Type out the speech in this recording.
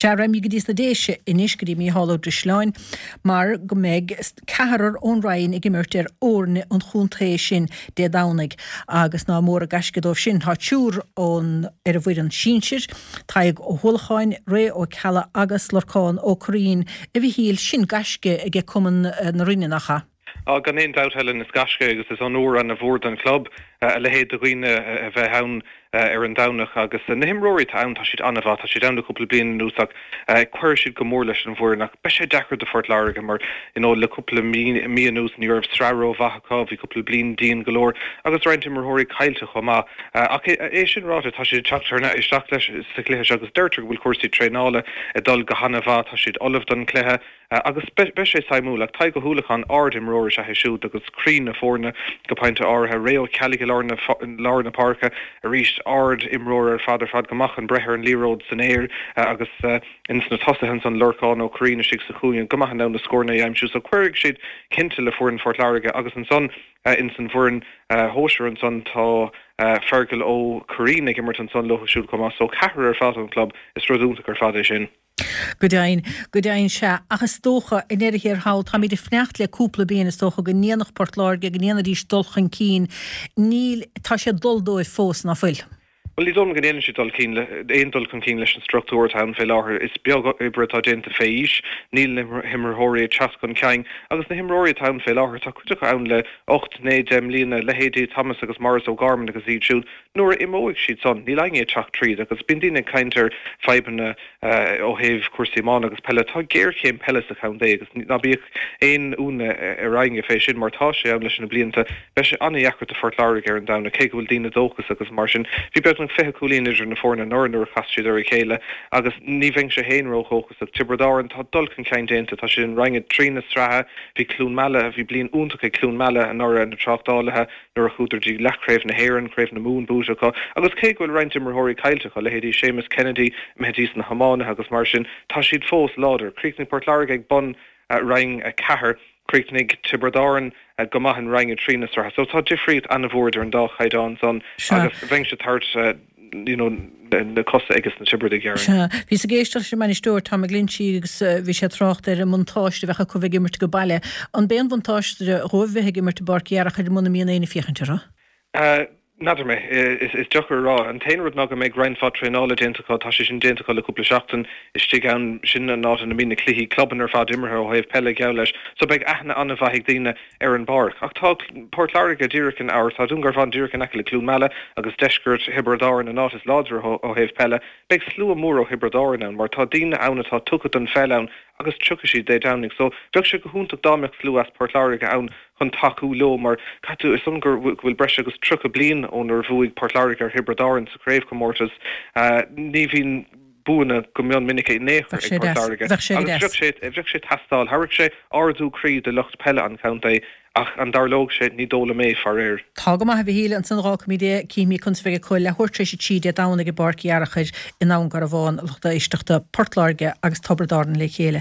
Sea, raghaimid go dtí sna Déise anois, go dtí Mícheál Ó Drisleáin, mar go mbeidh ceathrar ón Rinn ag imirt ar fhoirne an chontae sin Dé Domhnaigh agus ná mór an gaisce dóibh sin. Tá triúr ón ar an bhfoireann sinsir, Tadhg Ó hUallacháin, Ray Ó Ceallaigh agus Lorcán Ó Curraoin. A Mhichíl, sin gaisce aige Cumann na Rinne, nach ea? Á, gan aon dabht, Helen, is gaisce agus is onóir ana-mhór don chlub a leithéid de dhaoine a bheith ann ar an Domhnach. Agus na himreoirí atá ann, tá siad an-mhaith, tá siad ann le cúpla bliain anuas ach cuirfidh siad go mór leis an bhfoireann. Ach beidh sé deacair do Phort Láirge mar, you know, le cúpla mí anuas ní raibh sraith rómhaith acu, bhí cúpla bliain dian go leor agus roinnt imreoirí caillte chomh maith. Ach é sin ráite, tá siad ag teacht thar isteach leis sa chluiche seo agus deirtear go bhfuil cúrsaí traenála ag dul go han-mhaith, tá siad ullamh don chluiche. Agus beidh sé suimiúil. Ach Tadhg Ó hUallacháin, ard-imreoir is ea é siúd agus croí na foirne go pointe áirithe. Ray Ó Ceallaigh i lár na lár na páirce arís, ard-imreoir ar fad ar fad, go maith chun breith ar an liathróid san aer agus ins na tosaithe ansan Lorcán Ó Curraoin istigh sa chúinne, go maith in ann na scóranna a aimsiú. So cuirfidh siad cinnte le foireann Phort Láirge agus ansan ins an bhfoireann shóisir ansan tá Fergal Ó Curraoin ag imirt ansan leo siúd chomh maith. So ceathrar ar fad ón gclub, is rud iontach ar fad é sin. Go deimhin, go deimhin, sea. Ach is dócha, i ndeireadh thiar thall, táimid ag fanacht le cúpla bliain, is dócha, go ndéanfadh Port Láirge, go ndéanfaidís dul chun cinn. Níl, tá sé ag dul dóibh fós, ná fuil? Bhuel, ní dóigh liom go ndéanann siad dul cinn le, aon dul chun cinn leis an struchtúr atá ann fé láthair. Is beag oibre atá déanta fé aois, níl na himreoirí ag teacht chun cinn agus na himreoirí atá ann fé láthair, tá cuid acu ann le hocht, naoi, deich mbliana, leithéidí Thomas agus Maurice O'Gorman agus iad siúd. Nuair a imeoidh siad san, níl éinne ag teacht tríd agus bíonn daoine ag caint ar fadhbanna ó thaobh cúrsaí iomána agus peile. Tá géarchéim peile sa chontae agus ná bíodh aon ionadh ar éinne fé sin mar tá sé ann leis na blianta. Beidh sé an-dheacair do Phort Láirge ar an Domhnach cé go bhfuil daoine dóchasach agus mar sin. Bhí beagnach 20 cúilín idir na foirne anuraidh nuair a chas siad ar a chéile agus ní bheinnse féin ródhóchasach. Tiobraid Árann, tá dul chun cinn déanta, tá siad in Roinn 3 na sraithe. Bhí Cluain Meala, bhí bliain iontach ag Cluain Meala anuraidh, na tráchtálaithe. nuair a chuadar dtí leathchraobh na hÉireann, Craobh na Mumhan buaite acu, agus cé go bhfuil roinnt imreoirí caillte acu, leithéidí Séamus Kennedy imithe dtí sna hiománaithe agus mar sin, tá siad fós láidir. Chríochnaigh Port Láirge ag bun Roinn 4, chríochnaigh Tiobraid Árann go maith in Roinn 3 na sraithe. So tá difríocht an-mhór idir an dá chaighdeán san agus bheinnse ag tabhairt you know, na cosa ages na Tiobradaigh, déarfainn. Sea. Bhíos ag éisteacht leis an mbainisteoir, Tom McGlinchey, agus bhí sé ag trácht ar an mbuntáiste a bheadh acu bheith ag imirt go baile. An b'é an bhuntáiste dhóibh bheith ag imirt i bPáirc Fhearchair muna mbíonn éinne ag féachaint orthu? N'fheadar mé. Is deacair a rá. An t-aon rud ná go mbeidh roinnt mhaith traenála déanta acu. Tá sé sin déanta acu le cúpla seachtain istigh ann. Sin an áit ina mbíonn na cluichí clubanna ar fad imeartha ó thaobh peile geall leis. So beidh aithne an-mhaith ag daoine ar an bpáirc. Ach tá Port Láirge díreach in or tá Dún Garbhán díreach in aice le Cluain Meala agus deisceart Thiobraid Árann, an áit is láidre ó thaobh peile. Beidh slua mór ó Thiobraid Árann ann mar tá daoine ann atá tugtha don pheil ann agus tiocfaidh siad Dé Domhnaigh. So bheadh sé go hiontach dá mbeadh slua as Port Láirge ann chun tacú leo mar caithfidh tú a fhios agam go bhfuil breis agus 30 bliain ónar bhuaigh Port Láirge ar Thiobraid Árann sa chraobhchomórtas. Ní bhíonn buanna go mion minic in aon chor ag Port Láirge agus bheadh sé bheadh sé ag teastáil. Thabharfadh sé ardú croí do lucht peile an chontae ach an dtarlódh sé, ní dóigh liom é, faraor. Tá go maith, a Mhichíl, ansan d'fhágfaimid é, cífimid conas a bheidh acu leathuair tar éis a 3 Dé Domhnaigh i bPáirc Fhearchair i nDún Garbhán, lucht éisteachta Port Láirge agus Tiobraid Árann le chéile.